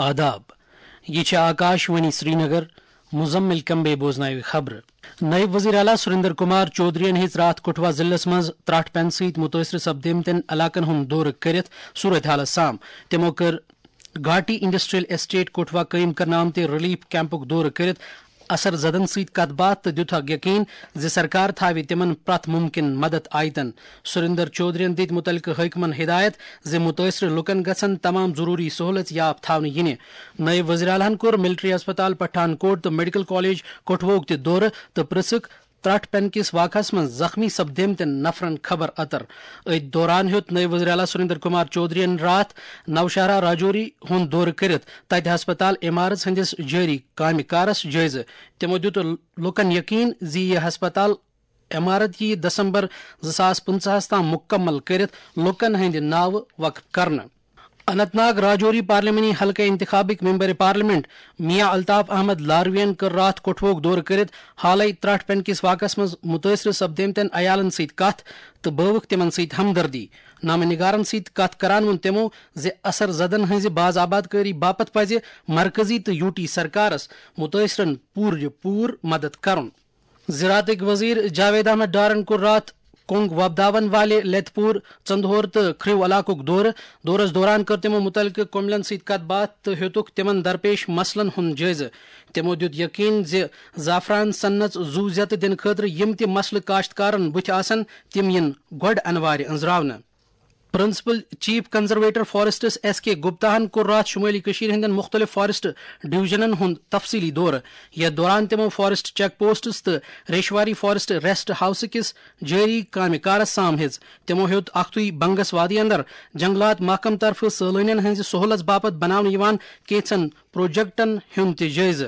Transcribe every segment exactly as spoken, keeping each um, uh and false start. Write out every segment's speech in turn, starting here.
آداب۔ یہ چھِ آکاش وانی سرینگر۔ مزمل کمبے بوزناوِ خبرٕ۔ نٲیِب وزیر اعلیٰ سریندر کمار چودھرین ہیٚژ راتھ کٹھوا ضلعس منٛز ترٛٹھ پٮ۪نہٕ سۭتۍ مُتٲثر سپدیمتٮ۪ن علاقن ہُنٛد دورٕ کٔرِتھ صورت حالس سام۔ تِمو کٔر گھاٹی انڈسٹریل اسٹیٹ کٹھوا قٲیِم کرنہٕ آمتہِ ریلیف کیمپُک دورٕ کٔرِتھ اثر زدن سۭتۍ کتھ باتھ تہٕ دِیُتکھ یقین زِ سرکار تھاوِ تِمن پرٛٮ۪تھ مُمکِن مدد آیتن۔ سریندر چودھرین دِتۍ مُتعلقہٕ حٲکمن ہدایت زِ مُتٲثرٕ لُکن گژھن تمام ضروٗری سہوٗلژ یاب تھاونہٕ یِنہِ۔ نٲیِب وزیر اعلیٰ ہن کوٚر ملٹری ہسپتال پٹھان کوٹ تہٕ میڈیکل کالج کٹھوہُک تہِ دورٕ تہٕ پرژھکھ ترٛٹھ پٮ۪نہٕ کِس واقعس منٛز زخمی سپدیمتٮ۪ن نفرن خبر اتر۔ أتھۍ دوران ہیوٚت نٲیِب وزیر اعلیٰ سریندر کمار چودھرین راتھ نوشہرہ راجوری ہُنٛد دورٕ کٔرِتھ تتہِ ہسپتال عمارژ ہٕنٛدِس جٲری کامہِ کارس جٲیزٕ۔ تِمو دِیُت لوٗکن یقین زِ یہِ ہسپتال عمارت یِیہِ دسمبر زٕ ساس پٕنٛژٕہس تام مُکمل کٔرِتھ لوٗکن ہٕنٛدِ ناوٕ وقف کرنہٕ۔ اننت ناگ راجوری پارلیمانی حلقہٕ انتخابٕکۍ ممبر پارلیمنٹ میاں الطاف احمد لاروین کٔر راتھ کٹھوہُک دورٕ کٔرِتھ حالے ترٛٹھ پٮ۪نہٕ کِس واقعس منٛز مُتٲثرٕ سپدیمتٮ۪ن عیالن سۭتۍ کتھ تہٕ بٲوٕکھ تِمن سۭتۍ ہمدردی۔ نامہ نگارن سۭتۍ کتھ کران ووٚن تِمو زِ اثر زدن ہٕنٛزِ باز آبادکٲری باپتھ پزِ مرکزی تہٕ یوٗ ٹی سرکارس مُتٲثرن پوٗرٕ پوٗرٕ مدد کرُن۔ زراعتٕکۍ وزیر جاوید احمد ڈارن کوٚر راتھ کۄنگ وۄپداون والہِ لتہِ پوٗر، ژندہور تہٕ کھرِو علاقُک دورٕ۔ دورس دوران کٔر تِمو مُتعلقہٕ کٔمِلین سۭتۍ کتھ باتھ تہٕ ہیوٚتُکھ تِمن درپیش مسلن ہُنٛد جٲیزٕ۔ تِمو دِیُت یقین زِ زعفران صنعتس زُو زیتہٕ دِنہٕ خٲطرٕ یِم تہِ مسلہٕ کاشتکارن بُتھِ آسن، تِم یِن گۄڈٕ انوارِ أنٛزراونہٕ۔ Principal chief conservator forests S K Gupta ہن کوٚر راتھ شمٲلی کٔشیٖر ہٕنٛدٮ۪ن مُختٔلِف فارسٹ ڈویژنن ہُنٛد تفصیٖلی دورٕ۔ یتھ دوران تِمو فارسٹ چیک پوسٹس تہٕ ریشواری فارسٹ ریسٹ ہاؤس کِس جٲری کامہِ کارس سام ہیٚژ۔ تِمو ہیوٚت اکھتُے بنگس وادی اندر جنگلات محکمہٕ طرفہٕ سٲلٲنین ہٕنٛزِ سہوٗلژ باپتھ بناونہٕ یِوان کینٛژن پروجیکٹن ہُنٛد تہِ جٲیزٕ۔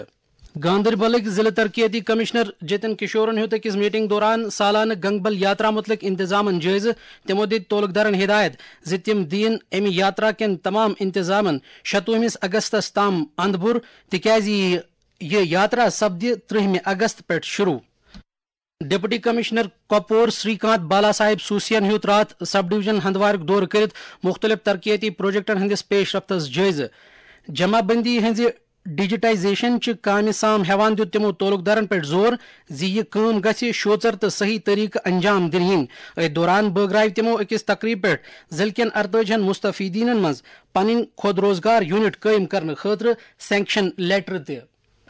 گاندربلٕکۍ ضلع ترقیتی کمشنر جتن کشورن ہیوٚت أکِس میٹنگ دوران سالانہٕ گنگبل یاترا مُتعلق انتظامن جٲیزٕ۔ تِمو دِتۍ تعلقدارن ہدایت زِ تِم دِیِن امہِ یاترا کٮ۪ن تمام انتظامن شتوُہمِس اگستس تام اندپور، تِکیازِ یہِ یہِ یاترا سپدِ ترٛہمہِ اگست پٮ۪ٹھ شروع۔ ڈپٹی کمشنر کۄپور سری کانت بالا صاحب سوسین ہیوٚت راتھ سب ڈویژن ہندوارُک دورٕ کٔرِتھ مُختٔلِف ترقیتی پروجیکٹن ہٕنٛدِس پیش رفتس جٲیزٕ۔ جمع بندی ہٕنٛزِ ڈیجیٹائزیشن چہِ کامہِ سام ہٮ۪وان دِیُت تِمو تعلقدارن پٮ۪ٹھ زور زِ یہِ کٲم گژھِ شوژر تہٕ صحیح طریقہٕ انجام دِنہٕ یِنۍ۔ أتھۍ دوران بٲگرایہِ تِمو أکِس تقریٖب پٮ۪ٹھ ضلعہٕ کٮ۪ن ارتٲجی ہن مستفیدینن منٛز پنٕنۍ خود روزگار یونٹ قٲیِم کرنہٕ خٲطرٕ سینکشن لیٹر تہِ۔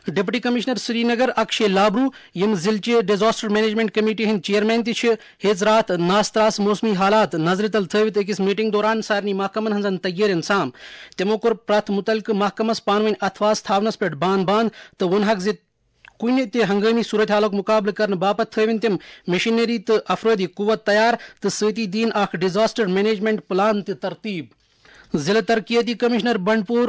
ڈپٹی کمشنر سرینگر اکشے لابرو، یِم ضلعہٕ چہِ ڈیزاسٹر مینجمنٹ کمیٹی ہٕنٛدۍ چیئرمین تہِ چھِ، ہیٚژ راتھ ناستراس موسمی حالات نظرِ تل تھٲوِتھ أکِس میٹنگ دوران سارنٕے محکمن ہٕنٛزن تیٲرین سام۔ تِمو کوٚر پرٛٮ۪تھ مُتعلقہٕ محکمس پانہٕ وٲنۍ اتھواس تھاونس پٮ۪ٹھ بان بان تہٕ ووٚنہکھ زِ کُنہِ تہِ ہنگٲمی صورت حالُک مُقابلہٕ کرنہٕ باپتھ تھٲوِن تِم مشینری تہٕ افرٲدی قوت تیار تہٕ سۭتی دِیِن اکھ ڈیزاسٹر مینجمنٹ پلان تہِ ترتیب۔ ضلع ترقیتی کمشنر بنڈپور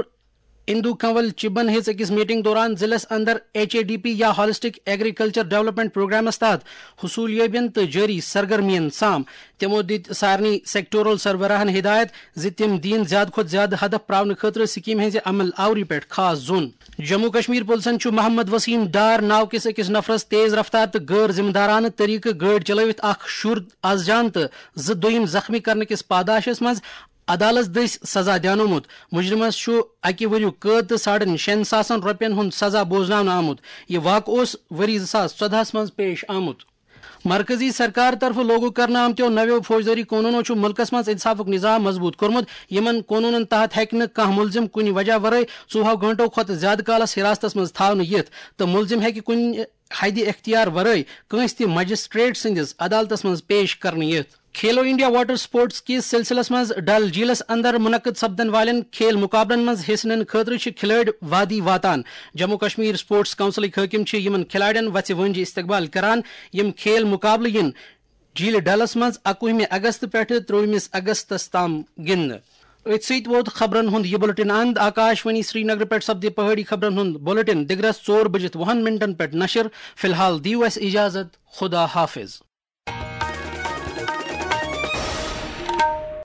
اندو کنول چبن ہیٚژ أکِس میٹنگ دوران ضلعس اندر ایچ اے ڈی پی یا ہالسٹک ایگریکلچر ڈیولپمنٹ پروگرامس تحت حصولیابین تہٕ جٲری سرگرمین سام۔ تِمو دِتۍ سارنٕے سیکٹورل سربراہن ہدایت زِ تِم دِیِن زیادٕ کھۄتہٕ زیادٕ ہدف پراونہٕ خٲطرٕ سکیمہِ ہٕنٛزِ عمل آوری پٮ۪ٹھ خاص زوٚن۔ جموں کشمیر پُلسن چھُ محمد وسیم ڈار ناو کِس أکِس نفرس تیز رفتار تہٕ غٲر ذمہٕ دارانہٕ طریقہٕ گٲڑۍ چلٲوِتھ اکھ شُر از جان تہٕ زٕ دوٚیِم زخمی کرنہٕ کِس پاداشس منٛز عدالت دٔسۍ سزا دیانومُت۔ مجرمس چھُ اکہِ ؤریُک قٲد تہٕ ساڑن شٮ۪ن ساسن رۄپین ہُنٛد سزا بوزناونہٕ آمُت۔ یہِ واقعہٕ اوس ؤری زٕ ساس ژۄدہس منٛز پیش آمُت۔ مرکزی سرکار طرفہٕ لاگو کرنہٕ آمتیو نویو فوجدٲری قونوٗنو چھُ مُلکس منٛز انصافُک نظام مضبوٗط کوٚرمُت۔ یِمن قونوٗنن تحت ہیٚکہِ نہٕ کانٛہہ مُلزِم کُنہِ وجہ ورٲے ژوٚوُہو گٲنٛٹو کھۄتہٕ زِیٛادٕ کالس حراستس منٛز تھاونہٕ یِتھ تہٕ مُلزِم ہیٚکہِ کُنہِ حدِ اختیار ورٲے کٲنٛسہِ تہِ مجسٹریٹ سٕنٛدِس عدالتس منٛز پیش کرنہٕ یِتھ۔ کھیلو انڈیا واٹر سپورٹس کِس سلسلس منٛز ڈل جھیلس اندر منعقد سپدن والٮ۪ن کھیل مقابلن منٛز حصہٕ نِنہٕ خٲطرٕ چھِ کھلٲڑۍ وادی واتان۔ جموں کشمیر سپورٹس کونسلٕکۍ حٲکم چھِ یِمن کھلاڑٮ۪ن وژھِ وٲنجہِ استقبال کران۔ یِم کھیل مقابلہٕ یِن جھیلہِ ڈلس منٛز اکوُہمہِ اگست پٮ۪ٹھٕ ترٛووُہمِس اگستس تام گِنٛدنہٕ۔ أتھۍ سۭتۍ ووت خبرن ہُنٛد یہِ بُلٹن اند۔ آکاش وانی سرینگرٕ پٮ۪ٹھ سپدِ پہٲڑی خبرن ہُنٛد بُلٹن دِگرس ژور بجِتھ وُہن منٹن پٮ۪ٹھ نشر۔ فی الحال دِیِو اَسہِ اجازت۔ خدا حافظ۔